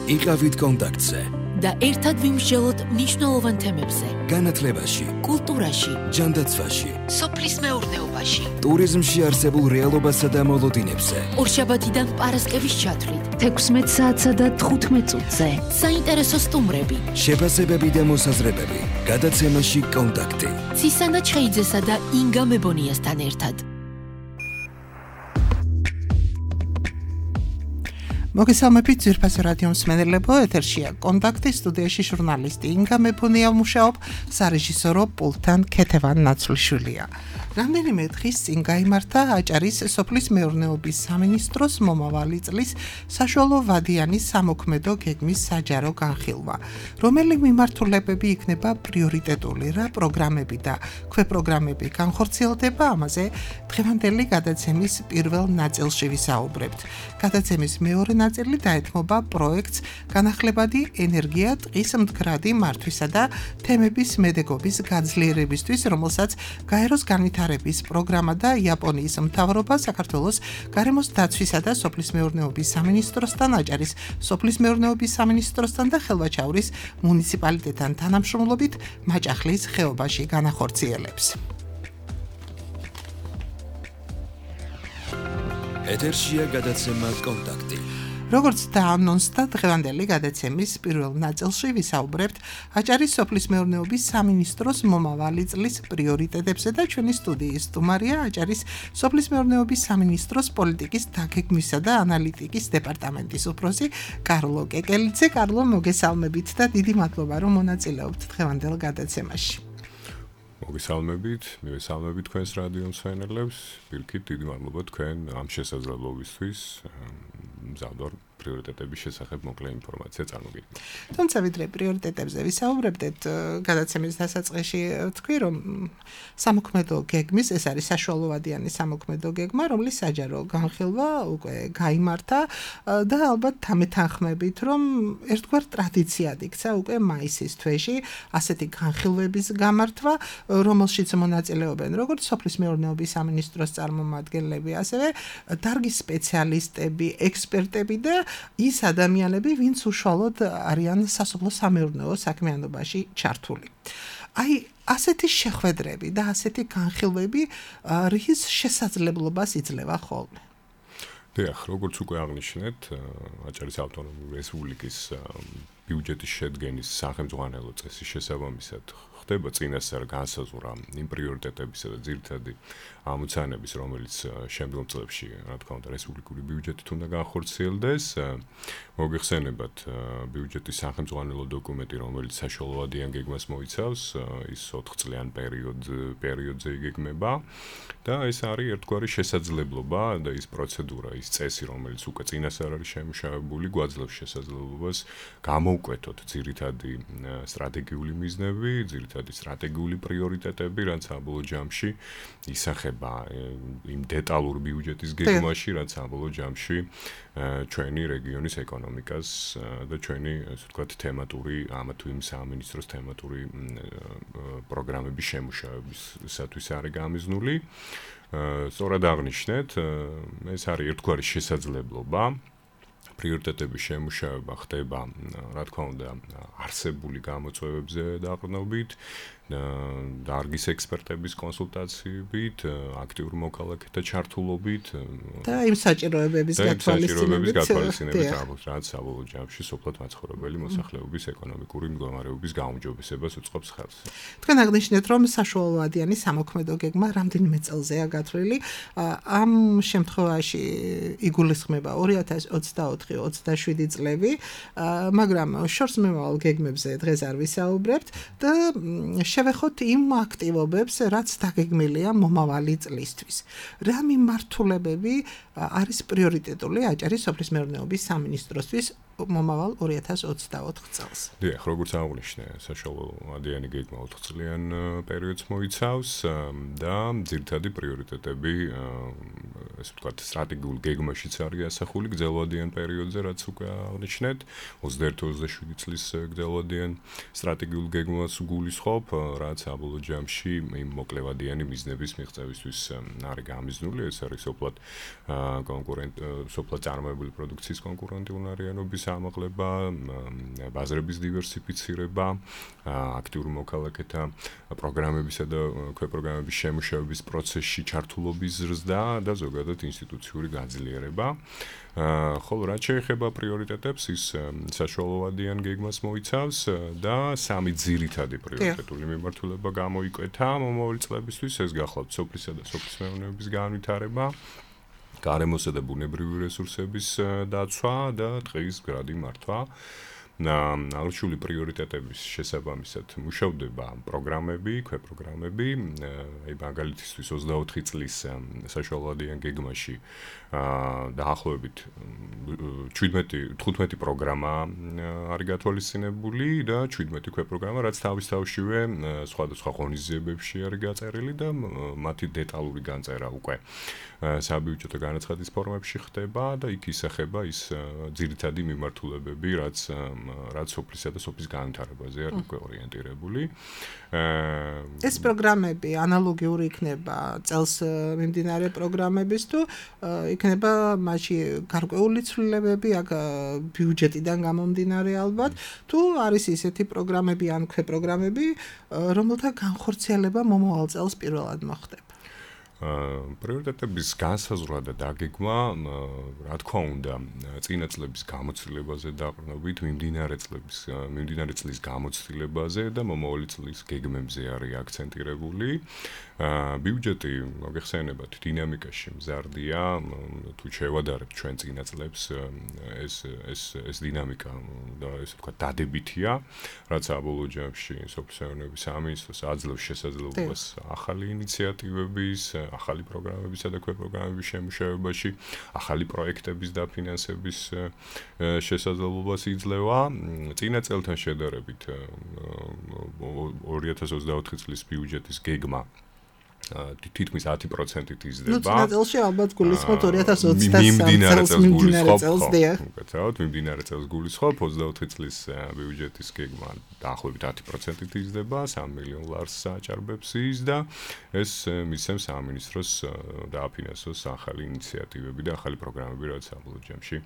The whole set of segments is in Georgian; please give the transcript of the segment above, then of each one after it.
იყავით კონტაქტზე და ერთად ვიმსჯელოთ მნიშვნელოვან თემებზე. განათლებაში, კულტურაში, ჯანდაცვაში, სოფლის მეურნეობაში, ტურიზმში არსებულ რეალობასა და მოლოდინებზე. ორშაბათიდან პარასკევის ჩათვლით 16 საათსა და 15 წუთზე. საინტერესო სტუმრები, შეფასებები და მოსაზრებები. გადაცემაში კონტაქტი. ცისანა ჩხეიძესა და ინგა მებონიასთან ერთად. მოგესალმებით ძვირფას რადიო მსმენელებო, ეთერშია კონტაქტი, სტუდიაში ჟურნალისტი ინგა მეფუნია მუშაობ, სარეჟისორო პულტთან ქეთევან ნაცვლიშვილია. რამდენიმე დღის წინ გაიმართა აჭარის სოფლის მეურნეობის სამინისტროს მომავალი წლის საშუალო ვადიანი სამოქმედო გეგმის საჯარო განხილვა, რომელი მიმართულებები იქნება პრიორიტეტული რა პროგრამები და ქვეპროგრამები განხორციელდება, ამაზე დღევანდელი გადაცემის პირველ ნაწილში ვისაუბრებთ. გადაცემის მეორე ნაწილი დაეთმობა პროექტს განახლებადი ენერგია ტყის მდგრადი მართვისა და თემების მედეგობის გაძლიერებისთვის, რომელსაც გაეროს განვითარების პროგრამა და იაპონიის მთავრობა საქართველოს გარემოს დაცვისა და სოფლის მეურნეობის სამინისტროსთან, აჭარის სოფლის მეურნეობის სამინისტროსთან და ხელვაჩაურის მუნიციპალიტეტთან თანამშრომლობით მაჭახლის ხეობაში განახორციელებს. ეთერშია გადაცემა კონტაქტი. როგორც დაანონსდა დღევანდელი გადაცემის პირველ ნაწილში ვისაუბრებთ აჭარის სოფლის მეურნეობის სამინისტროს მომავალი წლის პრიორიტეტებზე და ჩვენი სტუდიის სტუმარია აჭარის სოფლის მეურნეობის სამინისტროს პოლიტიკის დაგეგმვისა და ანალიტიკის დეპარტამენტის უფროსი კარლო კეკელიძე. კარლო, მოგესალმებით და დიდი მადლობა რომ მონაწილეობთ დღევანდელ გადაცემაში. მივესალმებით თქვენს რადიო მსმენელებს, პირიქით დიდი მადლობა თქვენ ამ შესაძლებლობისთვის მზადვარ პრიორიტეტების შესახებ მოკლე ინფორმაცია წარმოგიდგენთ. თუმცა ვიდრე პრიორიტეტებზე ვისაუბრებდეთ, გადაცემის დასაწყისში თქვი, რომ სამოქმედო გეგმის, ეს არის საშუალო ვადიანი სამოქმედო გეგმა, რომლის საჯარო განხილვა უკვე გაიმართა და ალბათ თამეთანხმებით, რომ ერთგვარ ტრადიციად იქცა უკვე მაისის თვეში ასეთი განხილვების გამართვა, რომელშიც მონაწილეობენ როგორც სოფლის მეურნეობის სამინისტროს წარმომადგენლები, ასევე დარგის სპეციალისტები, ექსპერტები და ის ადამიანები, ვინც უშუალოდ არიან სასოფლო სამეურნეო საქმიანობაში ჩართული. აი, ასეთი შეხვედრები და ასეთი განხილვები რის შესაძლებლობას იძლევა ხოლმე? დიახ, როგორც უკვე აღნიშნეთ, აჭარის ავტონომიური რესპუბლიკის ბიუჯეტის შედგენის სახელმძღვანელო წესის შესაბამისად ხდება წინასწარ განსაზღვრა იმ პრიორიტეტებისა და ძირითადი ამოცანების, რომელიც შემდგომ წლებში, რა თქმა უნდა, რესპუბლიკური ბიუჯეტით უნდა განხორციელდეს. მოგეხსენებათ ბიუჯეტის სახელმძღვანელო დოკუმენტი, რომელიც საშუალოვადიან გეგმას მოიცავს, ის 4 წლიან პერიოდზე იგეგმება და ეს არის ერთგვარი შესაძლებლობა და ის პროცედურა, ის წესი, რომელიც უკვე წინასწარ არის შემუშავებული, გვაძლევს შესაძლებლობას გამოვკვეთოთ ძირითადი სტრატეგიული მიზნები, ძირითადი სტრატეგიული პრიორიტეტები, რაც საბოლოო ჯამში ისახება იმ დეტალურ ბიუჯეტის გეგმაში, რაც საბოლოო ჯამში ჩვენი რეგიონის ეკონომიკას და ჩვენი, ასე ვთქვათ, თემატური, ამა თუ იმ სამინისტროს თემატური პროგრამების შემუშავებისათვის არის გამიზნული. სწორად აღნიშნეთ, ეს არის ერთგვარი შესაძლებლობა. პრიორიტეტების შემუშავება ხდება, რა თქმა უნდა, არსებული გამოწვევებზე დაყრდნობით, დარგის ექსპერტების კონსულტაციებით, აქტიურ მოქალაქეთა ჩართულობით და იმ საჭიროებების გათვალისწინებით, რაც საბოლოო ჯამში სოფლად მაცხოვრებელი მოსახლეობის ეკონომიკური მდგომარეობის გაუმჯობესებას უწყობს ხელს. თქვენ აღნიშნეთ, რომ საშუალოვადიანი სამოქმედო გეგმა რამდენიმე წელზეა გათვლილი. ამ შემთხვევაში იგულისხმება 2024-27 წლები, მაგრამ შორსმემავალ გეგმებზე დღეს არ ვისაუბრებთ და შევეხოთ იმ აქტივობებს, რაც დაგეგმილია მომავალი წლისთვის. რა მიმართულებები არის პრიორიტეტული აჭარის სოფლის მეურნეობის სამინისტროსთვის მომავალ 2024 წელს? დიახ, როგორც აღნიშნე, საშუალო ვადიანი გეგმა 4 წლიან პერიოდს მოიცავს და ძირითადი პრიორიტეტები, ასე ვთქვათ, სტრატეგიულ გეგმაშიც არის ასახული გრძელვადიან პერიოდზე, რაც უკვე აღნიშნეთ, 21-27 წლის გრძელვადიან სტრატეგიულ გეგმას გულისხმობ. რაც საბოლოო ჯამში იმ მოკლევადიანი მიზნების მიღწევისთვის არის გამიზნული, ეს არის სოფლად წარმოებული პროდუქციის კონკურენტუნარიანობის ამაღლება, ბაზრების დივერსიფიცირება, აქტიური მოქალაქეთა პროგრამებისა და ქვეპროგრამების შემუშავების პროცესში ჩართულობის ზრდა და ზოგადად ინსტიტუციური გაძლიერება. ხოლო რაც შეეხება პრიორიტეტებს, ის საშუალოვადიან გეგმას მოიცავს და სამი ძირითადი პრიორიტეტული მიმართულება გამოიკვეთა მომავალი წლებისთვის, ეს გახლავთ სოფლისა და სოფლის მეურნეობის განვითარება, გარემოსა და ბუნებრივი რესურსების დაცვა და ტყის მდგრადი მართვა. აღნიშნული პრიორიტეტების შესაბამისად მუშავდება პროგრამები, ქვეპროგრამები, მაგალითისთვის 24 წლის საშუალოვადიან გეგმაში დაახლოებით 15 პროგრამა არის გათვალისწინებული და 17 ქვეპროგრამა, რაც თავის თავშივე სხვადასხვა ღონისძიებებში არის გაწერილი და მათი დეტალური განწერა უკვე საბიუჯეტო განაცხადის ფორმებში ხდება და იქ ისახება ის ძირითადი მიმართულებები, რაც სოფლისა და სოფლის განვითარებაზე არის უკვე ორიენტირებული. ეს პროგრამები ანალოგიური იქნება წელს მიმდინარე პროგრამების თუ იქნება მასში გარკვეული ცვლილებები აქ ბიუჯეტიდან გამომდინარე ალბათ თუ არის ისეთი პროგრამები ან ქვეპროგრამები, რომელთა განხორციელება მომავალ წელს პირველად მოხდება. პრიორიტეტების განსაზღვრა და დაგეგმა, რა თქმა უნდა, წინა წლების გამოცდილებაზე დაყრდნობით, მიმდინარე წლის გამოცდილებაზე და მომავალი წლის გეგმებზე არის აქცენტირებული. ბიუჯეტი, მოგეხსენებათ, დინამიკაში მზარდია, თუ შევადარებთ ჩვენ წინა წლებს, ეს დინამიკა და ესე ვთქვათ, დადებითია, რაც საბოლოო ჯამში სოფლის მეურნეობის სამინისტროს აძლევს შესაძლებლობას ახალი ინიციატივების, ახალი პროგრამებისა და ქვეპროგრამების შემუშავებაში, ახალი პროექტების დაფინანსების შესაძლებლობას იძლევა. წინა წელთან შედარებით 2024 წლის ბიუჯეტის გეგმა თითქმის 10%-ით იზრდება. წინა წელში ალბათ გულისხმობ 2023 წელს მიმდინარე წელს გულისხმობ 24 წლის ბიუჯეტის გეგმა დაახლოებით 10%-ით იზრდება, 3 მილიონ ლარს აჭარბებს ის და ეს მისცემს სამინისტროს დააფინანსოს ახალი ინიციატივები და ახალი პროგრამები, რაც საბოლოო ჯამში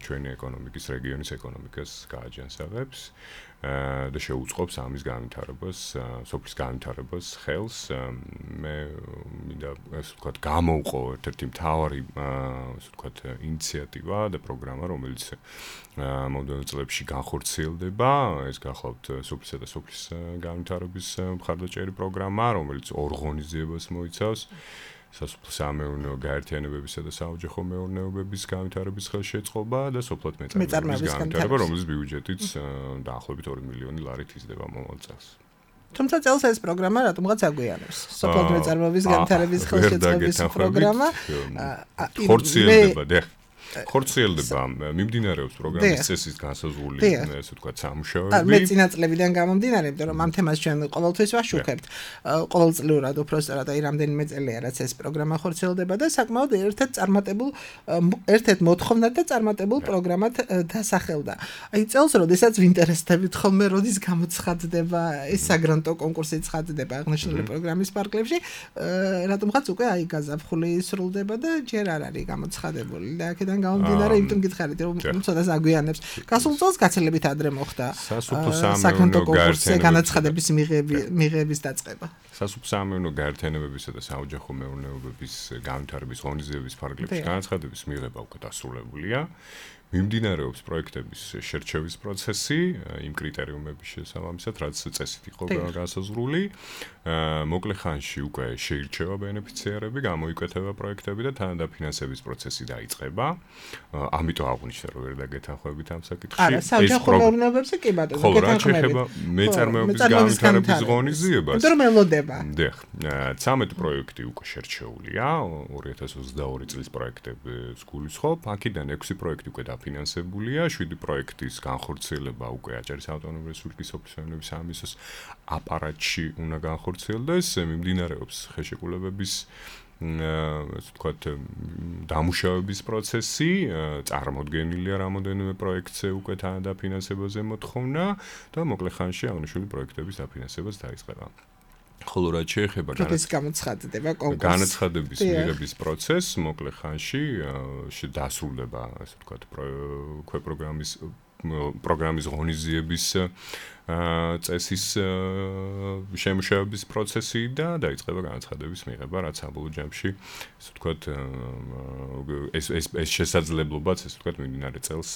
ჩვენი ეკონომიკის, რეგიონის ეკონომიკას გააჯანსაღებს და შეუწყობს ამის განვითარებას, სოფლის განვითარებას ხელს. მე მინდა ასე ვთქვათ, გამოვყო ერთ-ერთი მთავარი ასე ვთქვათ, ინიციატივა და პროგრამა, რომელიც მომდევნო წლებში განხორციელდება. ეს გახლავთ სოფლისა და სოფლის განვითარების მხარდაჭერი პროგრამა, რომელიც ორ ღონისძიებას მოიცავს. სასოფლო-სამეურნეო გაერთიანებებისა და საოჯახო მეურნეობების განვითარების ხელშეწყობა და სოფლად მეწარმეობის განვითარება, რომლის ბიუჯეტიც დაახლოებით 2 მილიონი ლარით იზრდება მომავალ წელს. თუმცა წელს ეს პროგრამა რატომღაც აგვიანებს. სოფლად მეწარმეობის განვითარების ხელშეწყობის პროგრამა ხორციელდება ხორციელდება, მიმდინარეობს პროგრამის წესის განსაზღვრული, ესე ვთქვათ, სამუშაოები. მე წინა წლებიდან გამომდინარე, იმიტომ რომ ამ თემას ჩვენ ყოველთვის ვაშუქებთ. ყოველწლიურად უბრალოდ აი რამდენიმე წელია, რაც ეს პროგრამა ხორციელდება და საკმაოდ ერთ-ერთ მოთხოვნად და წარმატებულ პროგრამად დასახელდა. აი წელს, როდესაც ვინტერესდებით ხოლმე, როდის გამოცხადდება ეს საგრანტო კონკურსი ცხადდება აღნიშნული პროგრამის პარკლებში, რატომღაც უკვე აი გაზაფხული სრულდება და ჯერ არ არის გამოცხადებული და აქედან გამომდინარე, იმიტომ გითხარით, რომ ცოტა აგვიანებს. გასულ წელს გაცილებით ადრე მოხდა სასოფლო-სამეურნეო კონკურსზე განაცხადების მიღების დაწყება. სასოფლო-სამეურნეო გაერთიანებებისა და საოჯახო მეურნეობების განვითარების ღონისძიების ფარგლებში განაცხადების მიღება უკვე დასრულებულია. მიმდინარეობს პროექტების შერჩევის პროცესი იმ კრიტერიუმების შესაბამისად, რაც წესით იყო განსაზღვრული. მოკლე ხანში უკვე შეირჩევა ბენეფიციარები, გამოიკვეთება პროექტები და თანადაფინანსების პროცესი დაიწყება. ამიტომ აღვნიშნე, რომ ვერ დაგეთანხმებით ამ საკითხში. არა, საოჯახო მეურნეობებზე კი ბატონო, ხო, რაც შეეხება მეწარმეობის განვითარების ღონისძიებას. იმიტომ რომ ელოდება. დიახ, 13 პროექტი უკვე შერჩეულია, 2022 წლის პროექტებს გულისხმობ, აქედან 6 პროექტი უკვე დაფინანსებულია, 7 პროექტის განხორციელება უკვე აჭარის ავტონომიური რესპუბლიკის სოფლის მეურნეობის სამინისტროს აპარატში უნდა განხორციელდეს, მიმდინარეობს ხელშეკრულებების ასე ვთქვათ, დამუშავების პროცესი, წარმოდგენილია რამოდენიმე პროექტზე უკვე დაფინანსებაზე მოთხოვნა და მოკლე ხანში აღნიშნული პროექტების დაფინანსებაც დაიწყება. ხოლო რაც შეეხება განაცხადების მიღების პროცესს, მოკლე ხანში დასრულდება, ასე ვთქვათ, პროგრამის ღონისძიების წესის შემუშავების პროცესი და დაიწყება განაცხადების მიღება, რაც საბოლოო ჯამში, ასე ვთქვათ, ეს შესაძლებლობაც, ასე ვთქვათ, მიმდინარე წელს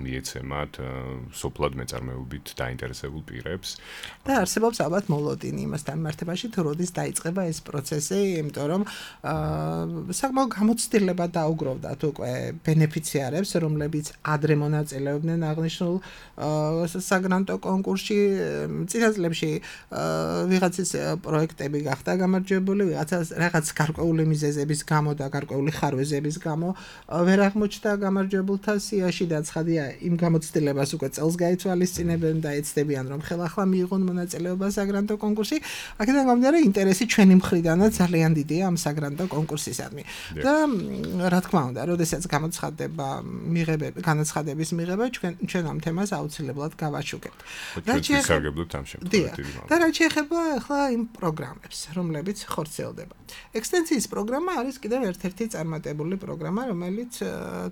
მიეცემათ სოფლად მეწარმეობით დაინტერესებულ პირებს. და არსებობს ალბათ მოლოდინი იმასთან მიმართებაში, თუ როდის დაიწყება ეს პროცესი, იმიტომ რომ საკმაოდ გამოცდილება დაუგროვდათ უკვე ბენეფიციარებს, რომლებიც ადრე მონაწილეობდნენ აღნიშნულ საგრანტო კონკურსში. წინა წლებში ვიღაცის პროექტები გახდა გამარჯვებული, ვიღაცას რაღაც გარკვეული მიზეზების გამო და გარკვეული ხარვეზების გამო ვერ აღმოჩნდა გამარჯვებულთა სიაში და ცხადია იმ გამოცდილებას უკვე წელს გაითვალისწინებენ და ეცდებიან რომ ხელახლა მიიღონ მონაწილეობა საგრანტო კონკურსში. აქედან გამომდინარე ინტერესი ჩვენი მხრიდანაც ძალიან დიდია ამ საგრანტო კონკურსისადმი. და რა თქმა უნდა, როდესაც გამოცხადდება განაცხადების მიღება, ჩვენ ამ თემას აუცილებლად გავაშუქებთ. და რაც შეეხება ახლა იმ პროგრამებს, რომლებიც ხორციელდება. ექსტენსიის პროგრამა არის კიდევ ერთ-ერთი წარმატებული პროგრამა, რომელიც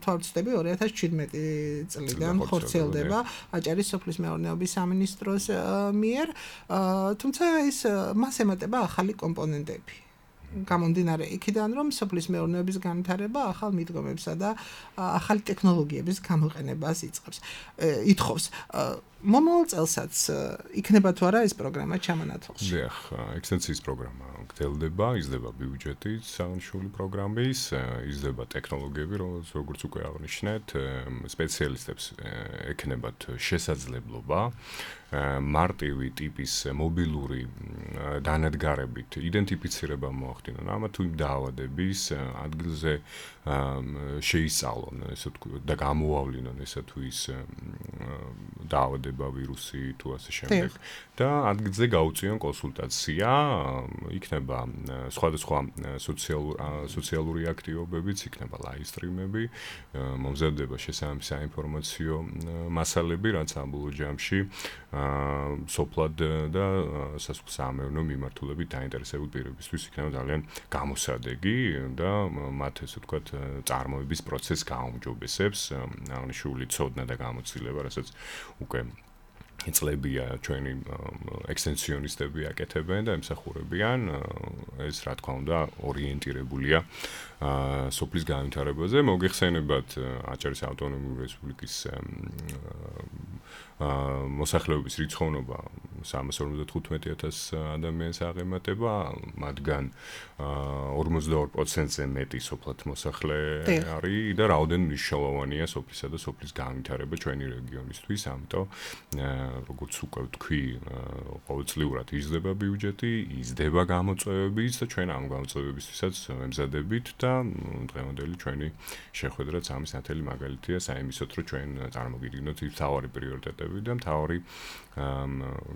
თვალწოდები 2017 წლიდან ხორციელდება აჭარის სოფლის მეურნეობის სამინისტროს მიერ, თუმცა მას ემატება ახალი კომპონენტები. გამომდინარე იქიდან, რომ სოფლის მეურნეობის განვითარება ახალ მიდგომებსა და ახალი ტექნოლოგიების გამოყენებას ითხოვს. მომავალ წელსაც იქნება თუ არა ეს პროგრამა ჩამონათვალში? დიახ, ექსტენსიის პროგრამა გრძელდება, იზრდება ბიუჯეტი აღნიშნული პროგრამის, იზრდება ტექნოლოგიები, როგორც უკვე აღნიშნეთ, სპეციალისტებს ექნებათ შესაძლებლობა მარტივი ტიპის მობილური დანადგარებით იდენტიფიცირება მოახდინონ ამა თუ იმ დაავადების ადგილზე შეისწავლონ, ესე ვთქვათ, და გამოავლინონ ესა თუ ის დაავადება, ვირუსი თუ ასე შემდეგ და ადგილზე გაუწიონ კონსულტაცია, იქნება სხვადასხვა სოციალური აქტივობებიც, იქნება live stream-ები, მომზადდება შესაბამისი საინფორმაციო მასალები, რაც საბოლოო ჯამში სოფლად და სასოფლო-სამეურნეო მიმართულებით დაინტერესებულ პირებისთვის იქნება ძალიან გამოსადეგი და მათ ესე ვთქვათ წარმოების პროცესს გაუმჯობესებს, აღნიშნული ცოდნა და გამოცდილება, რასაც უკვე წლებია ჩვენი ექსტენსიონისტები აკეთებენ და ემსახურებიან, ეს რა თქმა უნდა ორიენტირებულია სოფლის განვითარებაზე. მოგეხსენებათ აჭარის ავტონომიური რესპუბლიკის მოსახლეობის რიცხოვნობა 355,000 ადამიანს აღემატება, მათგან 42%-ზე მეტი სოფლად მოსახლე არის და რაოდენ მნიშვნელოვანია სოფლისა და სოფლის განვითარება ჩვენი რეგიონისთვის, ამიტომ როგორც უკვე ვთქვი, ყოველწლიურად იზრდება ბიუჯეტი, იზრდება გამოწვევებიც და ჩვენ ამ გამოწვევებისთვისაც ვემზადებით და დღევანდელი ჩვენი შეხვედრაც ამის ნათელი მაგალითია, საიმისოთ, რომ ჩვენ წარმოგიდგინოთ ის მთავარი პრიორიტეტები და მთავარი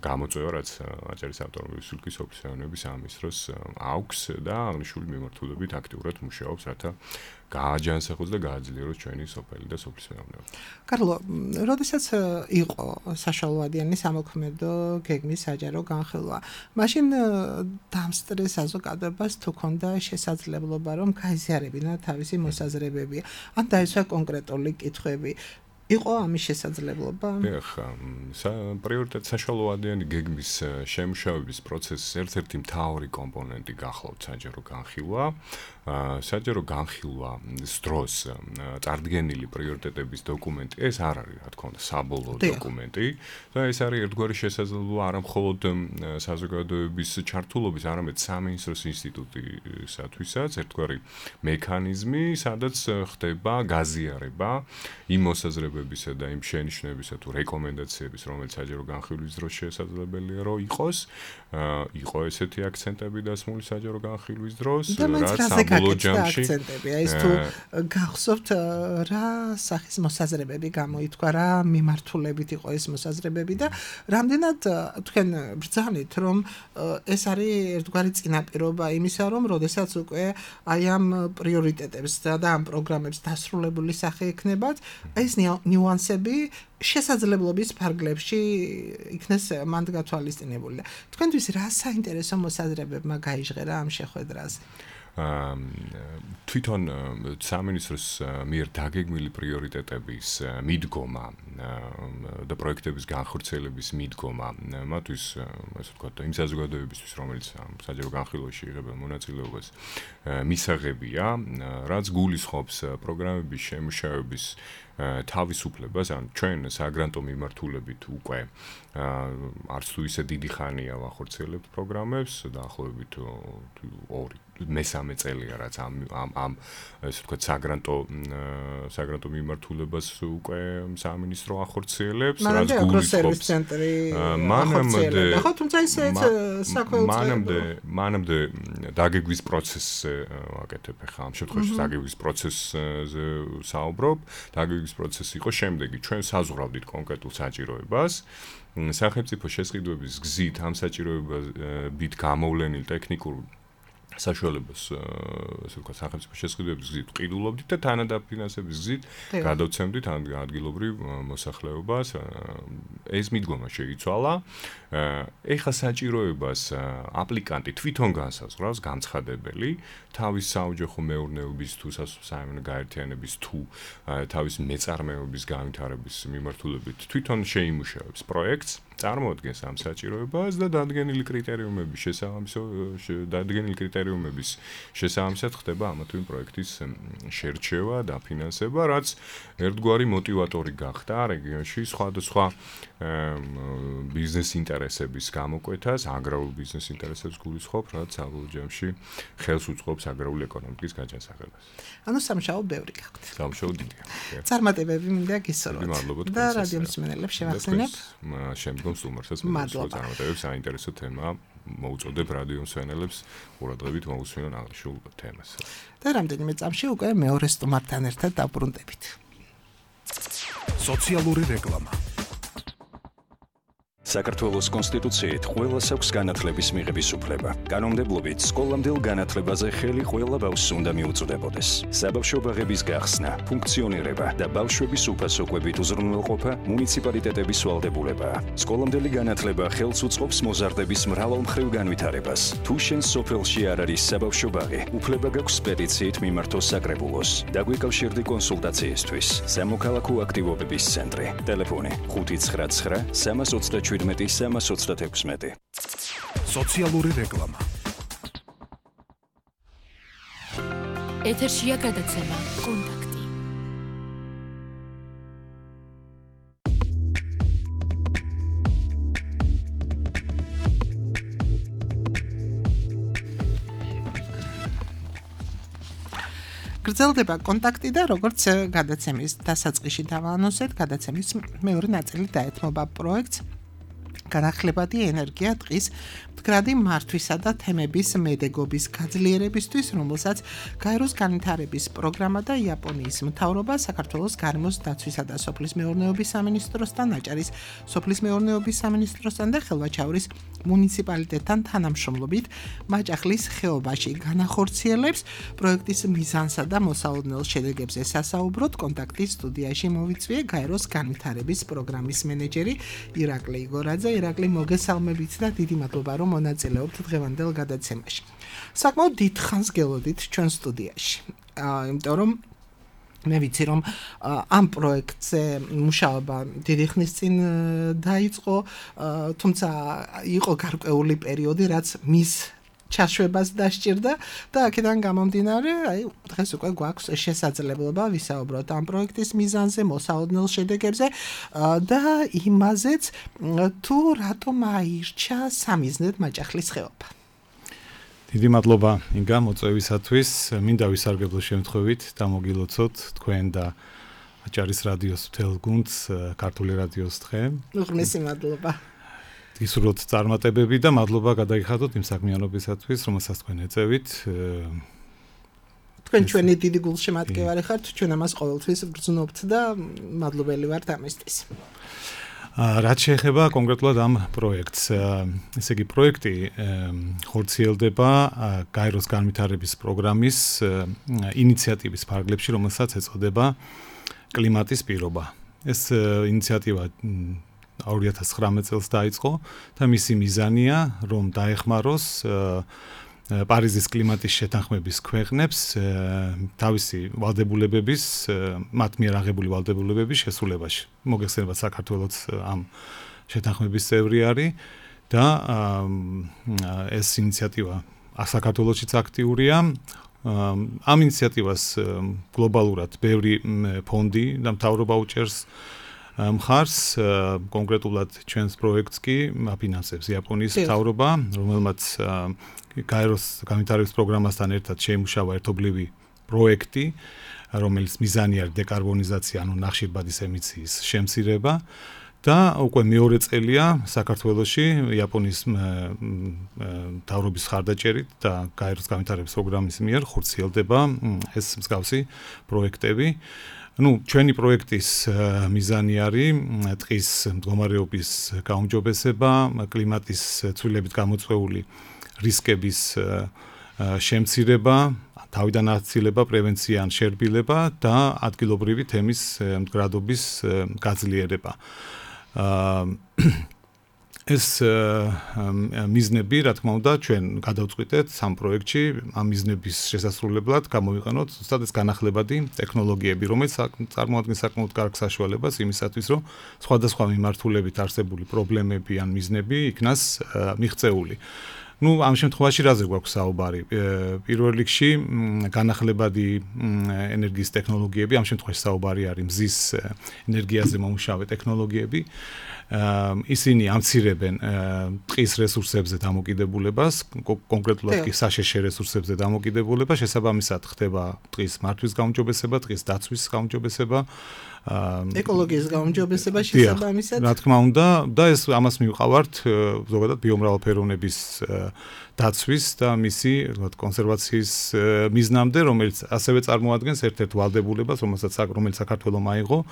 გამოწვევა, რაც აჭარის ავტონომიური რესპუბლიკის სოფლის მეურნეობის სამინისტროს აქვს და აღნიშნული მიმართულებით აქტიურად მუშაობს, რათა გააჯანსაღოს და გააძლიეროს ჩვენი სოფელი და სოფლის მეურნეობა. კარლო, როდესაც იყო საშუალოადიანი სამოქმედო გეგმის საჯარო განხილვა, მაშინ დამსწრე საზოგადოებას თუ ქონდა შესაძლებლობა, რომ გაიზიარებინა თავისი მოსაზრებები, ან დაისვა კონკრეტული კითხვები. იყო ამის შესაძლებლობა? დიახ, პრიორიტეტ საშუალოადიანი გეგმის შემუშავების პროცესის ერთ-ერთი მთავარი კომპონენტი გახლავთ საჯარო განხილვა. საჯარო განხილვის დროს წარდგენილი პრიორიტეტების დოკუმენტი, ეს არ არის, რა თქმა უნდა, საბოლოო დოკუმენტი და ეს არის ერთგვარი შესაძლებლობა არა მხოლოდ საზოგადოების ჩართულობის, არამედ სამინისტროს ინსტიტუტისათვისაც ერთგვარი მექანიზმი, სადაც ხდება გაზიარება იმ მოსაზრებებისა და იმ შენიშვნებისა თუ რეკომენდაციების, რომელიც საჯარო განხილვის დროს შესაძლებელია რომ იყო ესეთი აქცენტები დასმული საჯარო განხილვის დროს, რაც ბოლო ჯამში აქცენტები, აი ეს თუ გახსოვთ რა სახის მოსაზრებები გამოითქვა, რა მიმართულებით იყო ეს მოსაზრებები და რამდენად თქვენ ბრძანით, რომ ეს არის ერთგვარი წინაპირობა იმისა, რომ როდესაც უკვე აი ამ პრიორიტეტებს და ამ პროგრამებს დასრულებული სახე ექნებათ, ეს ნიუანსები შესაძლებლობის ფარგლებში იქნეს მანდ გათვალისწინებული. თქვენთვის რა საინტერესო მოსაზრებებმა გაიჟღერა ამ შეხვედრაზე? თვითონ სამინისტროს მიერ დაგეგმილი პრიორიტეტების მიდგომა და პროექტების განხორციელების მიდგომა მათთვის ასე ვთქვათ იმ საზოგადოებისთვის რომელიც საჯარო განხილვაში იღებენ მონაწილეობას მისაღებია რაც გულისხმობს პროგრამების შემუშავების თავისუფლებას ან ჩვენ საგრანტო მიმართულებით უკვე არც თუ ისე დიდი ხანია ვახორციელებთ პროგრამებს დაახლოებით 2-3 წელია რაც ამ ესე ვთქვათ საგრანტო მიმართულებას უკვე სამინისტრო ახორციელებს რაც გულისხმობს ცენტრი ახორციელებდა ხო თუმცა ისეც საქმეუწყებო მანამდე დაგეგმვის პროცესზე ვაკეთებ ახლა ამ შემთხვევაში დაგეგმვის პროცესზე საუბრობ დაგეგმვის პროცესი იყო შემდეგი ჩვენ საზღვრავდით კონკრეტულ საჭიროებას სახელმწიფო შესყიდვების გზით ამ საჭიროებებით გამოვლენილ ტექნიკურ საშუალებას ასე ვთქვათ სახელმწიფო შესყიდვების გზით ყიდულობდით და თანადაფინანსების გზით გადავცემდით ადგილობრივ მოსახლეობას ეს მიდგომა შეიცვალა ეხლა საჭიროებას აპლიკანტი თვითონ განსაზღვრავს განცხადებელი თავის საოჯახო მეურნეობის თუ საერთო გაერთიანების თუ თავის მეწარმეობის განვითარების მიმართულებით თვითონ შეიმუშავებს პროექტს წარმოადგენს ამ საჭიროებას და დადგენილი კრიტერიუმების შესაბამისად ხდება ამა თუ იმ პროექტის შერჩევა და ფინანსება, რაც ერთგვარი მოტივატორი გახდა რეგიონში სხვადასხვა ბიზნეს ინტერესების გამოკვეთას, აგრარულ ბიზნეს ინტერესებს გულისხმობს, რაც საბოლოო ჯამში ხელს უწყობს აგრარული ეკონომიკის გაჯანსაღებას. ანუ სამშაო ბევრი გაქვთ. სამშაო დიდია. წარმატებები მინდა გისურვოთ. და რადიო მსმენელებს შევახსენებ. შემდგომ სტუმარსაც წარმატებებს საინტერესო თემა მოუწოდებ რადიო მსმენელებს ყურადღებით მოусმინონ აღნიშნულ თემას. და რამდენიმე წამში უკვე მეორე სტუმართან ერთად დაბრუნდებით. სოციალური რეკლამა. საქართველოს კონსტიტუციით ყველას აქვს განათლების მიღების უფლება. კანონმდებლობით სკოლამდელ განათლებაზე ხელი ყველა ბავშვს უნდა მიუწვდებოდეს. საბავშვო ბაღების გახსნა, ფუნქციონირება და ბავშვების უფასო კვებით უზრუნველყოფა მუნიციპალიტეტების ვალდებულებაა. სკოლამდელი განათლება ხელს უწყობს მოზარდების მრავალმხრივ განვითარებას. თუ შენ სოფელში არ არის საბავშვო ბაღი, უფლება გაქვს პეტიციით მიმართო საკრებულოს. დაგვიკავშირდი კონსულტაციისთვის. სამოქალაქო აქტივობების ცენტრი. ტელეფონი 599 327 326. სოციალური რეკლამა. ეთერშია გადაცემა კონტაქტი. გრძელდება კონტაქტი და როგორც გადაცემის დასაწყისში დავაანონსეთ, გადაცემის მეორე ნაწილი დაეთმობა პროექტს განახლებადი ენერგია დღის მდგრადი მართვისა და თემების მედეგობის გაძლიერებისთვის, რომელსაც გაეროს განვითარების პროგრამა და იაპონიის მთავრობა საქართველოს გარემოს დაცვისა და სოფლის მეურნეობის სამინისტროსთან, აჭარის სოფლის მეურნეობის სამინისტროსთან და ხელვაჩაურის მუნიციპალიტეტთან თანამშრომლობით მაჭახლის ხეობაში განახორციელებს პროექტის მიზანსა და მოსალოდნელ შედეგებზე სასაუბროთ კონტაქტის სტუდიაში მოვიწვიე გაეროს განვითარების პროგრამის მენეჯერი ირაკლი იგორაძე. ირაკლი, მოგესალმებით და დიდი მადლობა რომ მონაწილეობთ დღევანდელ გადაცემაში. საკმაოდ დიდ ხანს გელოდით ჩვენ სტუდიაში. იმიტომ რომ მე ვიცი რომ ამ პროექტზე მუშაობა დიდი ხნის წინ დაიწყო, თუმცა იყო გარკვეული პერიოდი, რაც მის ჩაშვებას დასჭირდა და აქედან გამომდინარე, აი დღეს უკვე გვაქვს შესაძლებლობა ვისაუბროთ ამ პროექტის მიზანზე, მოსალოდნელ შედეგებზე და იმაზეც თუ რატომ აირჩა სამიზნედ მაჭახლის ხეობა. დიდი მადლობა ინგა მოწვევისათვის. მინდა ვისარგებლო შემთხვევით და მოგილოცოთ თქვენ და აჭარის რადიოს მთელ გუნდს ქართული რადიოს დღე. უღრმესი მადლობა. გისურვოთ წარმატებები და მადლობა გადაიხადოთ იმ საქმიანობისათვის, რომელსაც თქვენ ეწევით. თქვენ ჩვენი დიდი გულშემატკივარი ხართ, ჩვენ ამას ყოველთვის გრძნობთ და მადლობელი ვართ ამისთვის. რაც შეეხება კონკრეტულად ამ პროექტს, ესე იგი პროექტი ხორციელდება გაეროს განვითარების პროგრამის ინიციატივის ფარგლებში, რომელსაც ეწოდება კლიმატის პირობა. ეს ინიციატივა 2019 წელს დაიწყო და მისი მიზანია, რომ დაეხმაროს პარიზის კლიმატის შეთანხმების ქვეყნებს თავისი ვალდებულებების, მათ მიერ აღებული ვალდებულებების შესრულებაში. მოგეხსენებათ, საქართველოც ამ შეთანხმების წევრი არის და ეს ინიციატივა საქართველოშიც აქტიურია. ამ ინიციატივას გლობალურად ბევრი ფონდი და მთავრობა უჭერს მხარს, კონკრეტულად ჩვენს პროექტს კი აფინანსებს იაპონიის მთავრობა, რომელმაც გაეროს განვითარების პროგრამასთან ერთად შეიმუშავა ერთობლივი პროექტი, რომელიც მიზანი არის დეკარბონიზაცია, ანუ ნახშირბადის ემისიის შემცირება და უკვე მეორე წელია საქართველოში იაპონიის მთავრობის ხარდაჭერით და გაეროს განვითარების პროგრამის მიერ ხორციელდება ეს მსგავსი პროექტები. ჩვენი პროექტის მიზანი არის ტყის მდგომარეობის გაუმჯობესება, კლიმატის ცვლილებით გამოწვეული რისკების შემცირება, თავიდან აცილება, პრევენცია ან შერბილება და ადგილობრივი თემის მდგრადობის გაძლიერება. ეს მიზნები, რა თქმა უნდა, ჩვენ გადავწყვიტეთ სამ პროექტში ამ მიზნების შესასრულებლად გამოვიყენოთ ზუსტად ეს განახლებადი ტექნოლოგიები, რომელიც წარმოადგენს საკმაოდ კარგ საშუალებას იმისათვის, რომ სხვადასხვა მიმართულებით არსებული პრობლემები ან მიზნები იქნას მიღწეული. ამ შემთხვევაში რაზე გვაქვს საუბარი? პირველ რიგში განახლებადი ენერგიის ტექნოლოგიები, ამ შემთხვევაში საუბარი არის მზის ენერგიაზე მომუშავე ტექნოლოგიები. ისინი ამცირებენ ტყის რესურსებზე დამოკიდებულებას, კონკრეტულად კი საშეშე რესურსებზე დამოკიდებულება, შესაბამისად ხდება ტყის მართვის გაუმჯობესება, ტყის დაცვის გაუმჯობესება, ეკოლოგიის გაუმჯობესება შესაბამისად. რა თქმა უნდა, და ეს ამას მივყავართ ზოგადად ბიომრავალფეროვნების დაცვის და მისი კონსერვაციის მიზნამდე, რომელიც ასევე წარმოადგენს ერთ-ერთ ვალდებულებას, რომელიც საქართველოს აიღო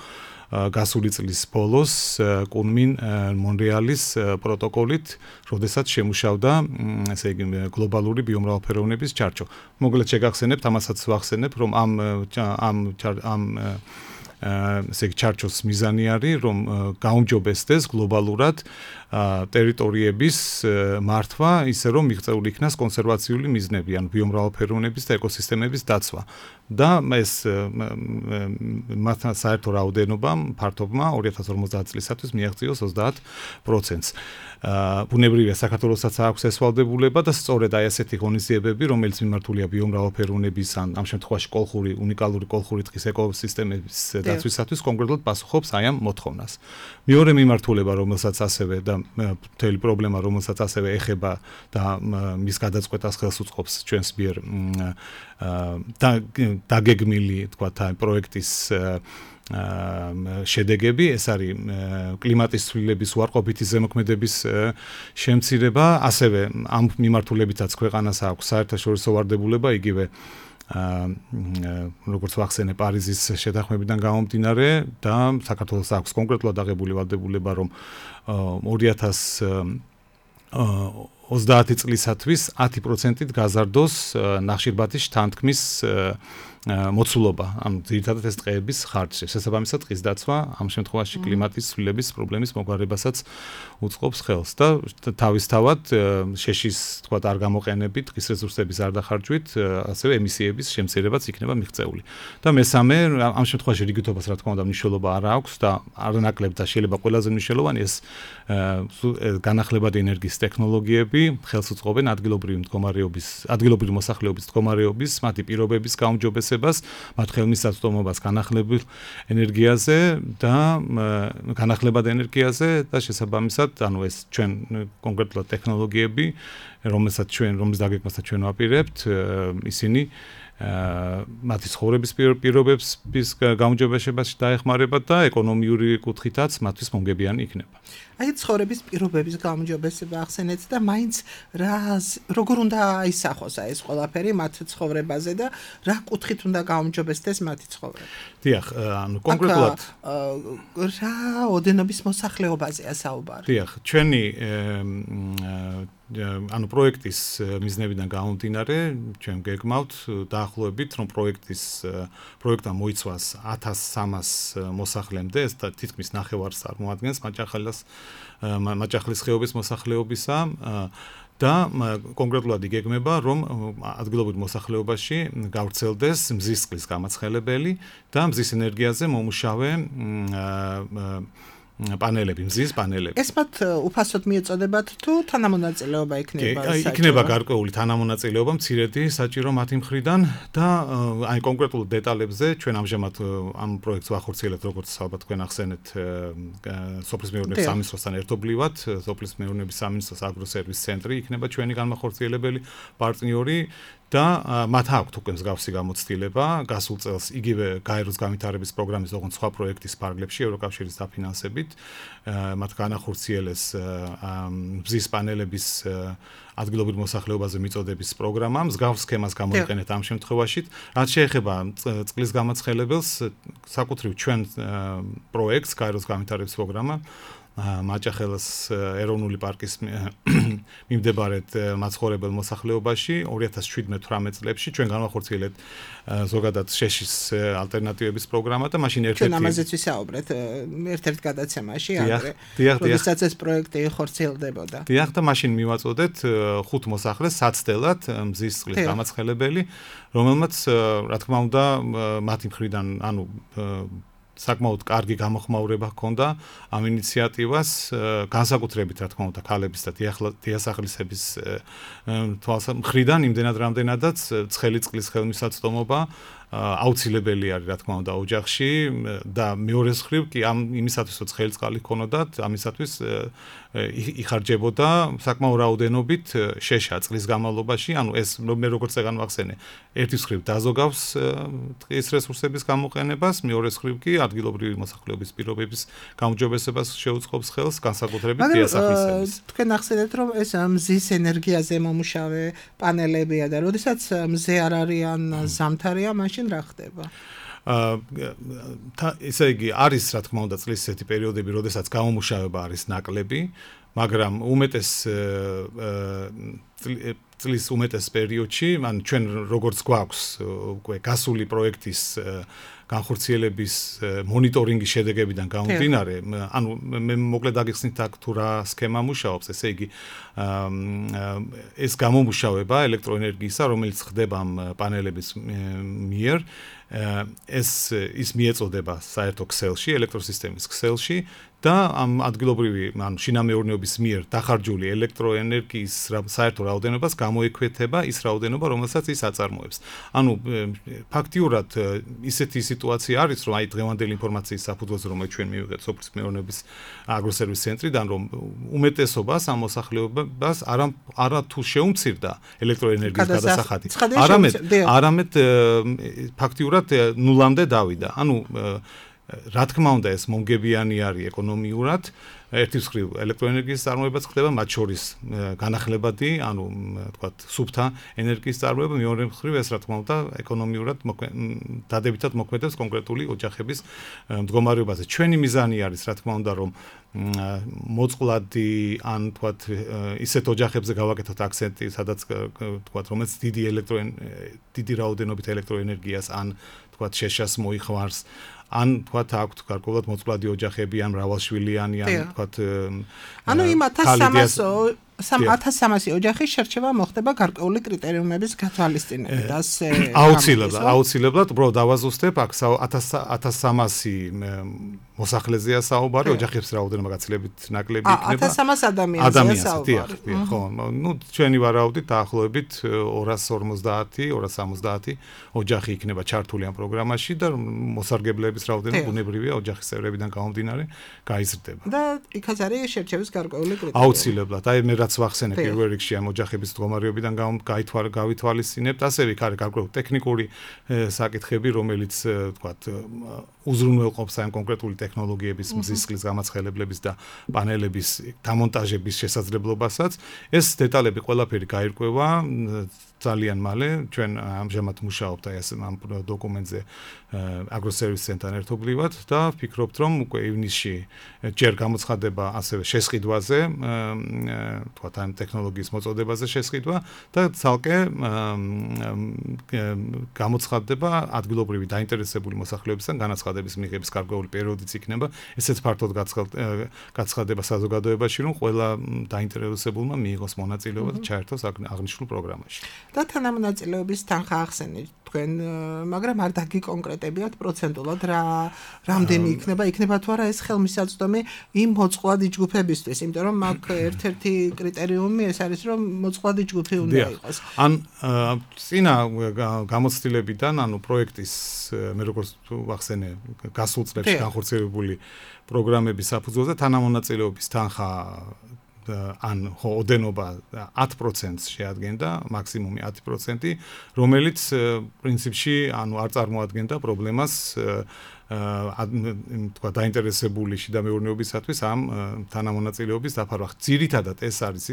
გასული წლის ბოლოს კუნმინ მონრეალის პროტოკოლით, როდესაც შემუშავდა ესე იგი გლობალური ბიომრავალფეროვნების ჩარჩო. მოგლეთ შეგახსენებთ, ამასაც ვახსენებ, რომ ესე იგი ჩარჩოს მიზანი არის, რომ გაუმჯობესდეს გლობალურად ტერიტორიების მართვა, ისე რომ მიღწეული იქნას კონსერვაციული მიზნები, ანუ ბიომრავალფეროვნების და ეკოსისტემების დაცვა. და ეს მათთან საერთო რაოდენობამ ფართობმა 2050 წლისათვის მიაღწიოს 30%. ბუნებრივია, საქართველოსაც აქვს ეს ვალდებულება და სწორედ აი ასეთი ღონისძიებები, რომელიც მიმართულია ბიომრავალფეროვნების ან ამ შემთხვევაში უნიკალური კოლხური ტყის ეკოსისტემების დაცვისათვის კონკრეტულად პასუხობს აი ამ მოთხოვნას. მეორე მიმართულება, რომელსაც ასევე და მთელი პრობლემა, რომელსაც ასევე ეხება და მის გადაწყვეტას ხელს უწყობს ჩვენს მიერ დაგეგმილი, თქვათ, აი პროექტის შედეგები, ეს არის კლიმატის ცვლილების უარყოფითი ზემოქმედების შემცირება, ასევე ამ მიმართულებითაც ქვეყანას აქვს საერთაშორისო ვარდებულება, იგივე როგორც ვახსენე პარიზის შეთანხმებიდან გამომდინარე და საქართველოს აქვს კონკრეტულად აღებული ვალდებულება, რომ 2030 წლისათვის 10%-ით გაზარდოს ნახშირბადის შთანთქმის მოცულობა, ანუ ძირითადად ეს ტყეების ხარჯზე. შესაბამისად, ტყის დაცვა ამ შემთხვევაში კლიმატის ცვლილების პრობლემის მოგვარებასაც უწყობს ხელს და თავისთავად შეშის, თქვათ, არ გამოყენებით, ტყის რესურსების არ დახარჯვით, ასევე ემისიების შემცირებაც იქნება მიღწეული. და მესამე, ამ შემთხვევაში რიგითობას, რა თქმა უნდა, მნიშვნელობა არ აქვს და არანაკლებ და შეიძლება ყველაზე მნიშვნელოვანი ეს განახლებადი ენერგიის ტექნოლოგიები ხელს უწყობენ ადგილობრივი მოსახლეობის მდგომარეობის, მათი პირობების გაუმჯობესებას, მათ ხელმისაწვდომობას განახლებულ ენერგიაზე და განახლებად ენერგიაზე და შესაბამისად, ანუ ეს ჩვენ კონკრეტულად ტექნოლოგიები, რომლის დაგეგმასაც ჩვენ ვაპირებთ, ისინი მათი ცხოვრების პირობების გაუმჯობესებაში დაეხმარება და ეკონომიური კუთხითაც მათთვის მომგებიანი იქნება. აი ცხოვრების პირობების გაუმჯობესება ახსენეთ და მაინც როგორ უნდა აისახოს ეს ყველაფერი მათ ცხოვრებაზე და რა კუთხით უნდა გაუმჯობესდეს მათი ცხოვრება. დიახ, ანუ კონკრეტულად რა ოდენობის მოსახლეობაზეა საუბარი. დიახ, ჩვენი ანუ პროექტის მიზნებიდან გამომდინარე, ჩვენ გეგმავთ დაახლოებით, რომ პროექტმა მოიცვას 1300 მოსახლემდე, ეს თითქმის ნახევარს წარმოადგენს მაჭახლის ხეობის მოსახლეობისა და კონკრეტულად იგეგმება, რომ ადგილობრივ მოსახლეობაში გავრცელდეს მზისწყლის გამაცხელებელი და მზის ენერგიაზე მომუშავე პანელები, მზის პანელები. ეს მათ უფასოდ მიეწოდებათ თუ თანამონაწილეობა იქნება? იქნება გარკვეული თანამონაწილეობა მცირედი საჭირო მათი მხრიდან და აი კონკრეტულ დეტალებზე ჩვენ ამჟამად ამ პროექტს ვახორციელებთ, როგორც ალბათ თქვენ ახსენეთ, სოფლის მეურნეობის სამინისტროსთან ერთობლივად, სოფლის მეურნეობის სამინისტროს აგროსერვის ცენტრი იქნება ჩვენი განმახორციელებელი პარტნიორი. და მათ აქვთ უკვე მსგავსი გამოცდილება გასულ წელს იგივე გაეროს განვითარების პროგრამის ოღონდ სხვა პროექტის ფარგლებში ევროკავშირის დაფინანსებით მათ განახორციელეს მზის პანელების ადგილობრივ მოსახლეობაზე მიწოდების პროგრამა მსგავს სქემას გამოიყენეთ ამ შემთხვევაში რაც შეეხება წყლის გამაცხელებელს საკუთრივ ჩვენ პროექტს გაეროს განვითარების პროგრამა მაჭახელის ეროვნული პარკის მიმდებარედ მაცხოვრებელ მოსახლეობაში 2017-18 წლებში ჩვენ განვახორციელებთ ზოგადად შეშის ალტერნატივების პროგრამა და მაშინ ერთ-ერთი ჩვენ ამაზეც ვისაუბრეთ ერთ-ერთ გადაცემაში ადრე როდესაც ეს პროექტი ხორციელდებოდა. დიახ და მაშინ მივაწოდეთ 5 მოსახლეს საცდელად მზის წყლის გამაცხელებელი რომელმაც რა თქმა უნდა მათი მხრიდან ანუ საკმაოდ კარგი გამოხმაურება ჰქონდა ამ ინიციატივას განსაკუთრებით რა თქმა უნდა ქალების და დიასახლისების მხრიდან იმდენად რამდენადაც ცხელი წყლის ხელმისაწვდომობა აუცილებელი არის რა თქმა უნდა ოჯახში და მეორე მხრივ კი ამ იმისათვის რომ ცხელი წყალი ჰქონოდათ ამისათვის იხარჯებოდა საკმაოდ რაოდენობით შეშა წყლის განმავლობაში ანუ ეს მე როგორც წეგანვახსენე ერთი მხრივ დაზოგავს ტყის რესურსების გამოყენებას მეორე მხრივ კი ადგილობრივი მოსახლეობის პირობების გაუმჯობესებას შეუწყობს ხელს განსაკუთრებით დიასახლისების თქვენ ახსენეთ რომ ეს მზის ენერგიაზე მომუშავე პანელებია და როდესაც მზე არ არიან ზამთარია მაშინ რა ხდება? ესე იგი არის რა თქმა უნდა წლის ესეთი პერიოდები, როდესაც გამომუშავება არის ნაკლები, მაგრამ უმეტეს წლის უმეტეს პერიოდში, ან ჩვენ როგორც გვაქვს უკვე გასული პროექტის განხორციელების მონიტორინგის შედეგებიდან გამომდინარე, ანუ მე მოკლედ აგიხსნით აქ თუ რა სქემა მუშაობს, ესე იგი ეს გამომუშავება ელექტროენერგიისა, რომელიც ხდება ამ პანელების მიერ, ის მიეწოდება საერთო ქსელში, ელექტროსისტემის ქსელში და ამ ადგილობრივი, ანუ შინამეურნეობის მიერ დახარჯული ელექტროენერგიის საერთო რაოდენობას გამოექვეთება ის რაოდენობა, რომელსაც ის აწარმოებს. ანუ ფაქტიურად ისეთი სიტუაცია არის, რომ აი დღევანდელი ინფორმაციის საფუძველზე რომ ჩვენ მივიღეთ სოფლის მეურნეობის აგროსერვის ცენტრიდან, რომ უმეტესობას ამ მოსახლეობას არა თუ შეუმცირდა ელექტროენერგიის გადასახადი, არამედ ფაქტიურად ნულამდე დავიდა. ანუ რა თქმა უნდა ეს მომგებიანი არის ეკონომიურად ერთი მხრივ ელექტროენერგიის წარმოებაც ხდება მათ შორის განახლებადი ანუ თქვათ სუფთა ენერგიის წარმოება მეორე მხრივ ეს რა თქმა უნდა ეკონომიურად დადებითად მოქმედებს კონკრეტული ოჯახების მდგომარეობაზე ჩვენი მიზანი არის რა თქმა უნდა რომ მოწყვლადი ან თქვათ ისეთ ოჯახებზე გავაკეთოთ აქცენტი სადაც თქვათ რომელიც დიდი რაოდენობით ელექტროენერგიას ან თქვათ შეშას მოიხმარს ან თქვათ აქვთ გარკვეულად მოწყვლადი ოჯახები ან მრავალშვილიანი ან თქვათ ანუ იმ 1300 ოჯახის შერჩევა მოხდება გარკვეული კრიტერიუმების გათვალისწინებით ასე აუცილებლად უბრალოდ დავაზუსტებ აქ 1300 მოსახლეზეა საუბარი ოჯახების რაოდენობა გაცილებით ნაკლები იქნება 1300 ადამიანზეა საუბარი ხო ნუ ჩვენი ვარაუდით დაახლოებით 250 ოჯახი იქნება ჩართული ამ პროგრამაში და მოსარგებლეების რაოდენობა ბუნებრივია ოჯახის წევრებიდან გამომდინარე გაიზრდება და იქაც არის შერჩევის გარკვეული კრიტერიუმი აუცილებლად აი მე რაც ვახსენე პირველ რიგში ამ ოჯახების მდგომარეობიდან გავითვალისწინებთ, ასევე იქ არის გარკვეული ტექნიკური საკითხები, რომელიც თქვათ უზრუნველყოფს ამ კონკრეტული ტექნოლოგიების მზისხლის გამაცხელებლების და პანელების დამონტაჟების შესაძლებლობასაც. ეს დეტალები ყველაფერი გაირკვევა ძალიან მალე. ჩვენ ამჟამად მუშაობთ ამ დოკუმენტზე Agro-Service Center-თან ერთობლივად და ვფიქრობთ, რომ უკვე ივნისში ჯერ გამოცხადება ასევე შესყიდვაზე, თქვათ ამ ტექნოლოგიის მოწოდებაზე შესყიდვა და ცალკე გამოცხადება ადგილობრივი დაინტერესებული მოსახლეობისგან განაცხადების მიღების გარკვეული პერიოდიც იქნება. ესეც ფართოდ გაცხადება საზოგადოებაში, რომ ყველა დაინტერესებულმა მიიღოს მონაწილეობა და ჩაერთოს აღნიშნულ პროგრამაში. და თანამონაწილეობის თანხა ახსენეთ თქვენ, მაგრამ არ დაგიკონკრეტებიათ პროცენტულად რამდენი იქნება თუ არა ეს ხელმისაწვდომი იმ მოწყვლადი ჯგუფებისთვის, იმიტომ რომ აქ ერთ-ერთი კრიტერიუმი ეს არის, რომ მოწყვლადი ჯგუფი უნდა იყოს. ან წინა გამოცდილებიდან, ანუ პროექტის მე როგორც ვახსენე, გასულ წლებში განხორციელებული პროგრამების საფუძველზე თანამონაწილეობის თანხა ან ოდენობა 10%-ს შეადგენდა, მაქსიმუმი 10%, რომელიც პრინციპში ანუ არ წარმოადგენდა პრობლემას თქვა დაინტერესებული შიდა მეურნეობისათვის ამ თანამონაწილეობის დაფარვა. ძირითადად ეს არის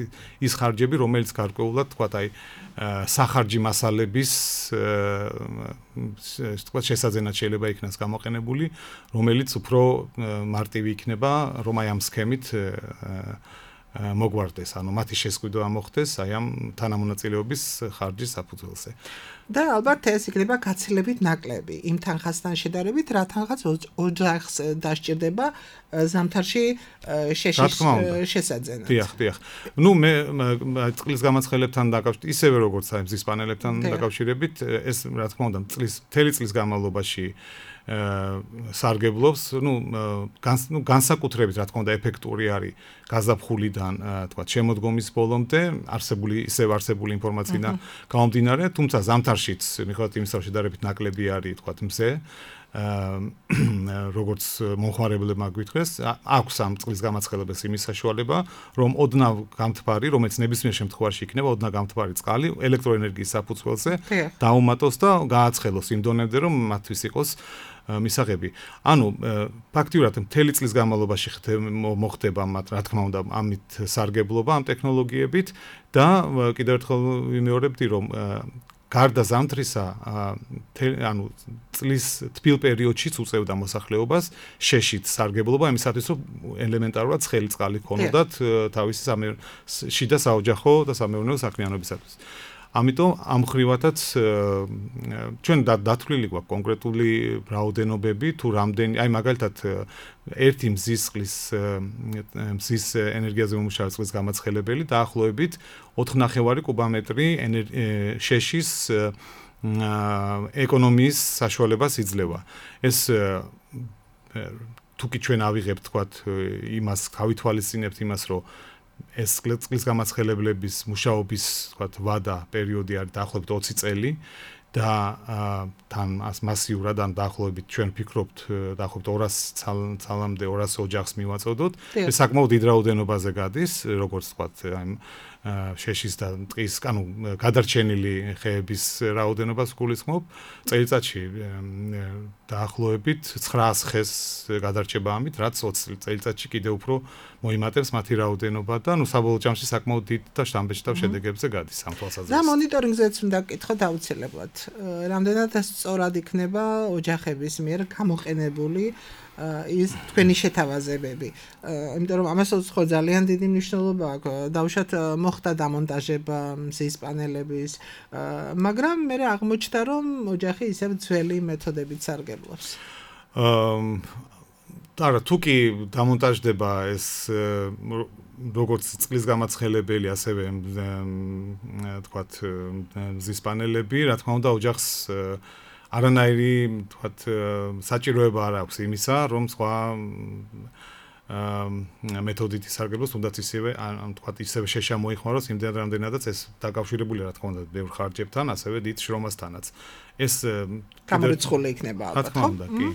ის ხარჯები, რომელიც გარკვეულად თქვა სახარჯი მასალების თქვა შესაძენად შეიძლება იქნას გამოყენებული, რომელიც უფრო მარტივი იქნება, რომ ამ სქემით მოგვარდეს, ანუ მათი შესყიდვა მოხდეს ამ თანამონაწილეობის ხარჯის საფუძველზე. და ალბათ ეს იქნება გაცილებით ნაკლები იმ თანხასთან შედარებით, რა თანხაც ოჯახს დასჭირდება ზამთარში შესაძენად. დიახ. ნუ მე წყლის გამაცხელებთან დაკავშირებით, ისევე როგორც აი მზის პანელებთან დაკავშირებით, ეს რა თქმა უნდა მთელი წლის განმავლობაში სარგებლობს, განსაკუთრებით რა თქმა უნდა ეფექტური არის გაზაფხულიდან, თქვა შემოდგომის ბოლომდე არსებული ინფორმაციიდან გამომდინარე, თუმცა ზამთარშიც მიუხედავად იმისა, რომ შედარებით ნაკლები არის, თქვა მზე, როგორც მომხმარებლებმა გვითხრეს, აქვს ამ წყლის გამაცხელებას იმის საშუალება, რომ ოდნავ გამთბარი, რომელიც ნებისმიერ შემთხვევაში იქნება ოდნავ გამთბარი წყალი ელექტროენერგიის საფუძველზე დაუმატოს და გააცხელოს იმ დონემდე, რომ მათთვის იყოს მისაღები. ანუ ფაქტიურად მთელი წლის განმავლობაში მოხდება მათ, რა თქმა უნდა, ამით სარგებლობა ამ ტექნოლოგიებით და კიდევ ერთხელ ვიმეორებდი, რომ გარდა ზამთრისა, ანუ წლის თბილ პერიოდშიც უწევდა მოსახლეობას შეშით სარგებლობა იმისათვის, რომ ელემენტარულად ცხელი წყალი ქონოდათ თავისი შიდა საოჯახო და სამეურნეო საქმიანობისათვის. ამიტომ ამ ხრივათაც ჩვენ დათვლილი გვაქვს კონკრეტული რაოდენობები თუ რამდენი, აი მაგალითად ერთი მზის ენერგიაზე მომუშავე წყლის გამაცხელებელი დაახლოებით 4.5 კუბომეტრი შეშის ეკონომიის საშუალებას იძლევა. ეს თუკი ჩვენ ავიღებთ თქვათ იმას, გავითვალისწინებთ იმას, რომ ეს წყლის გამაცხელებლების მუშაობის თქვათ ვადა პერიოდი არის დაახლოებით 20 წელი და თან მასიურად ან დაახლოებით ჩვენ ვფიქრობთ დაახლოებით 200 ცალამდე 200 ოჯახს მივაწოდოთ. ეს საკმაოდ დიდ რაოდენობაზე გადის, როგორც თქვათ აი შეშის და ტყის, ანუ გადარჩენილი ხეების რაოდენობას გულისხმობ. წელიწადში დაახლოებით 900 ხეს გადარჩება ამით, რაც 20 წელიწადში კიდევ უფრო მოიმატებს მათი რაოდენობა და საბოლოო ჯამში საკმაოდ დიდ და შთამბეჭდავ შედეგებზე გადის ამ თვალსაზრისით. და მონიტორინგზეც უნდა გკითხოთ აუცილებლად. რამდენად სწორად იქნება ოჯახების მიერ გამოყენებული ის თქვენი შეთავაზებები. იმიტომ რომ ამასაც ხო ძალიან დიდი მნიშვნელობა აქვს. დავუშვათ მოხდა დამონტაჟება მზის პანელების, მაგრამ მე აღმოჩნდა რომ ოჯახი ისევ ძველი მეთოდებით სარგებლობს. არა, თუკი დამონტაჟდება ეს როგორც წყლის გამაცხელებელი, ასევე თქვათ მზის პანელები, რა თქმა უნდა ოჯახს არანაირი თქვათ საჭიროება არ აქვს იმისა, რომ სხვა მეთოდით ისარგებლოს, თუნდაც ისევე თქვათ ისევე შეშა მოიხმაროს იმდენ რამდენადაც ეს დაკავშირებულია რა თქმა უნდა ბევრ ხარჯებთან, ასევე დიდ შრომასთანაც. ეს გამორიცხული იქნება ალბათ, ხო? კი.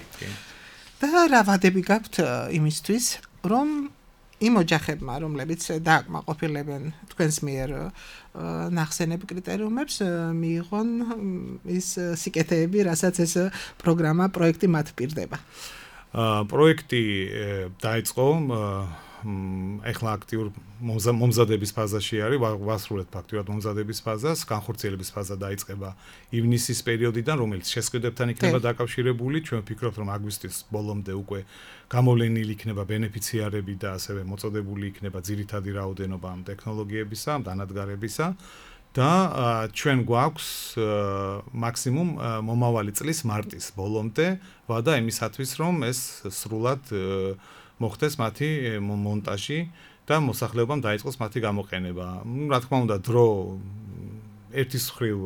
და რა ვადები გაქვთ იმისთვის, რომ იმ ოჯახებმა, რომლებიც დააკმაყოფილებენ თქვენს მიერ ნახსენებ კრიტერიუმებს, მიიღონ ის სიკეთეები, რასაც ეს პროგრამა, პროექტი მათ პირდება. პროექტი დაიწყო ეხლა აქტიურ მომზადების ფაზაში არის, ვასრულეთ ფაქტურად მომზადების ფაზას, განხორციელების ფაზა დაიწყება ივნისის პერიოდიდან, რომელიც შესყიდვებთან იქნება დაკავშირებული. ჩვენ ვფიქრობთ, რომ აგვისტოს ბოლომდე უკვე გამოვლენილი იქნება ბენეფიციარები და ასევე მოწოდებული იქნება ძირითადი რაოდენობა ამ ტექნოლოგიებისა, ამ დანადგარებისა და ჩვენ გვაქვს მაქსიმუმ მომავალი წლის მარტის ბოლომდე ვადა იმისათვის, რომ ეს სრულად მოხდეს მათი მონტაჟი და მოსახლეობამ დაიწყოს მათი გამოყენება. რა თქმა უნდა, დრო ერთის მხრივ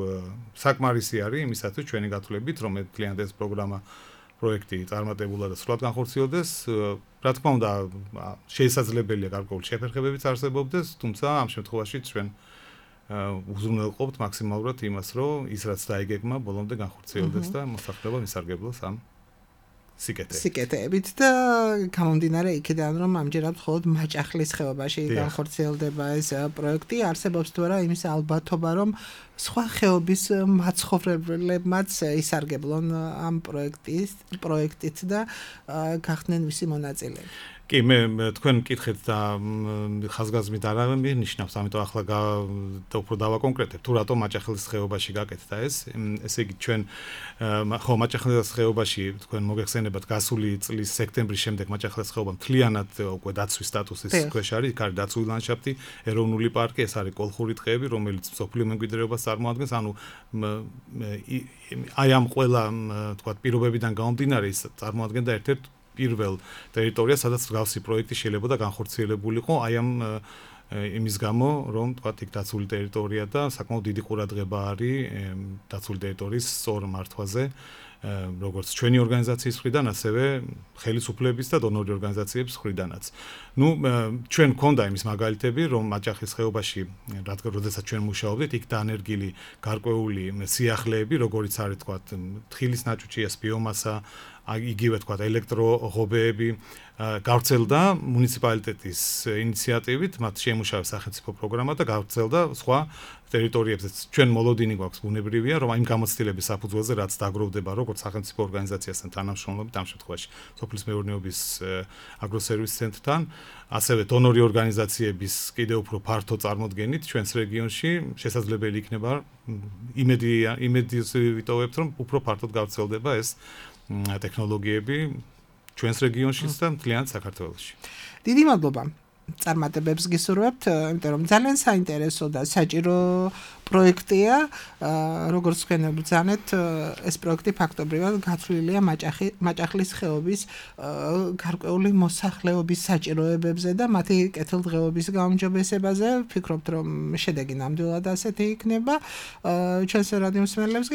საკმარისი არის იმისათვის ჩვენი გათვლებით, რომ მთლიანად ეს პროგრამა პროექტი წარმატებულად და სრულად განხორციელდეს. რა თქმა უნდა, შესაძლებელია გარკვეული შეფერხებებიც არსებობდეს, თუმცა ამ შემთხვევაში ჩვენ უზრუნველყოფთ მაქსიმალურად იმას, რომ ის რაც დაიგეგმა, ბოლომდე განხორციელდეს და მოსახლეობა მისარგებლოს ამ სიკეთეებით და გამომდინარე იქიდან, რომ ამჯერად მხოლოდ მაჭახლის ხეობაში განხორციელდება ეს პროექტი, არსებობს თუ არა იმის ალბათობა, რომ სხვა ხეობის მაცხოვრებლებმაც ისარგებლონ ამ პროექტით და გახდნენ მისი მონაწილეები. კი, მე თქვენ მკითხეთ და ხაზგასმით არ აღნიშნავს, ამიტომ ახლა უფრო დავაკონკრეტებ, თუ რატომ მაჭახლის ხეობაში გაკეთდა ეს. ესე იგი, ჩვენ ხო მაჭახლის ხეობაში თქვენ მოგეხსენებათ გასული წლის სექტემბრის შემდეგ მაჭახლის ხეობა მთლიანად უკვე დაცვის სტატუსის ქვეშ არის, იქ არის დაცული ლანდშაფტი, ეროვნული პარკი, ეს არის კოლხური ტყეები, რომელიც მსოფლიო მემკვიდრეობას წარმოადგენს, ანუ აი ამ ყველა თქვა პირობებიდან გამომდინარე ის წარმოადგენდა ერთ-ერთ პირველ ტერიტორიას, სადაც მსგავსი პროექტი შეიძლება და განხორციელებულიყო, აი ამ იმის გამო, რომ თქვა იქ დაცული ტერიტორია და საკმაოდ დიდი ყურადღება არის დაცული ტერიტორიის სწორ მართვაზე, როგორც ჩვენი ორგანიზაციის მხრიდან, ასევე ხელისუფლების და დონორი ორგანიზაციების მხრიდანაც. ნუ ჩვენ გქონდა იმის მაგალითები, რომ მაჭახის ხეობაში, როდესაც ჩვენ მუშაობდით, იქ დაანერგილი გარკვეული სიახლეები, როგორიც არის თქვა თხილის ნაჭუჭიას, ბიომასა, იგივე თქვა ელექტროღობეები გავრცელდა მუნიციპალიტეტის ინიციატივით, მათ შეიმუშავეს სახელმწიფო პროგრამა და გავრცელდა სხვა ტერიტორიებზეც. ჩვენ მოლოდინი გვაქვს ბუნებრივია, რომ იმ გამოცდილების საფუძველზე რაც დაგროვდება როგორც სახელმწიფო ორგანიზაციასთან თანამშრომლობით, ამ შემთხვევაში სოფლის მეურნეობის აგროსერვის ცენტრთან, ასევე დონორი ორგანიზაციების კიდევ უფრო ფართო წარმოდგენით ჩვენს რეგიონში შესაძლებელი იქნება იმედს ვიტოვებთ, რომ უფრო ფართოდ გავრცელდება ეს ტექნოლოგიები ჩვენს რეგიონშიც და მთლიანად საქართველოში. დიდი მადლობა. წარმატებებს გისურვებთ, იმიტომ რომ ძალიან საინტერესო და საჭირო პროექტია, როგორც თქვენ ბრძანეთ, ეს პროექტი ფაქტობრივად გათვლილია მაჭახლის ხეობის გარკვეული მოსახლეობის საჭიროებებზე და მათი კეთილდღეობის გაუმჯობესებაზე. ვფიქრობთ, რომ შედეგი ნამდვილად ასეთი იქნება. ჩვენს რადიო მსმენელებს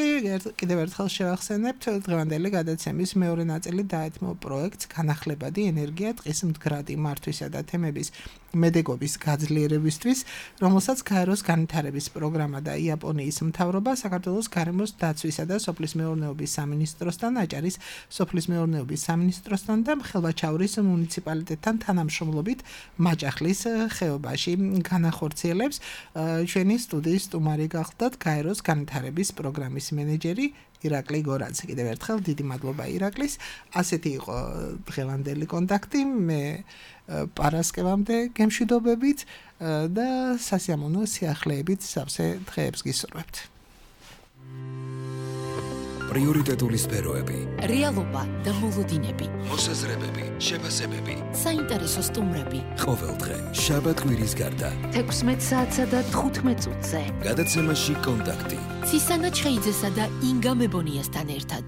კიდევ ერთხელ შევახსენებთ, დღევანდელი გადაცემის მეორე ნაწილი დაეთმო პროექტს განახლებადი ენერგია ტყის მდგრადი მართვისა და თემების მედეგობის გაძლიერებისთვის, რომელსაც გაეროს განვითარების პროგრამა და იაპონიის მთავრობა საქართველოს გარემოს დაცვისა და სოფლის მეურნეობის სამინისტროსთან, აჭარის სოფლის მეურნეობის სამინისტროსთან და ხელვაჩაურის მუნიციპალიტეტთან თანამშრომლობით მაჭახლის ხეობაში განახორციელებს. ჩვენი სტუდიის სტუმარი გახლდათ გაეროს განვითარების პროგრამის მენეჯერი ირაკლი გორანცი. კიდევ ერთხელ დიდი მადლობა ირაკლის. ასეთი იყო დღევანდელი კონტაქტი. მე პარასკევამდე გემშვიდობებით და სასიამოვნო სიახლეებით სავსე დღეებს გისურვებთ. პრიორიტეტული სფეროები, რეალობა და მოლოდინები, მოსაზრებები, შეფასებები, საინტერესო სტუმრები. ყოველდღე შაბათ-კვირის გარდა 16 საათსა და 15 წუთზე გადაცემაში კონტაქტი. ცისანა ჩხეიძესა და ინგა მებონიასთან ერთად.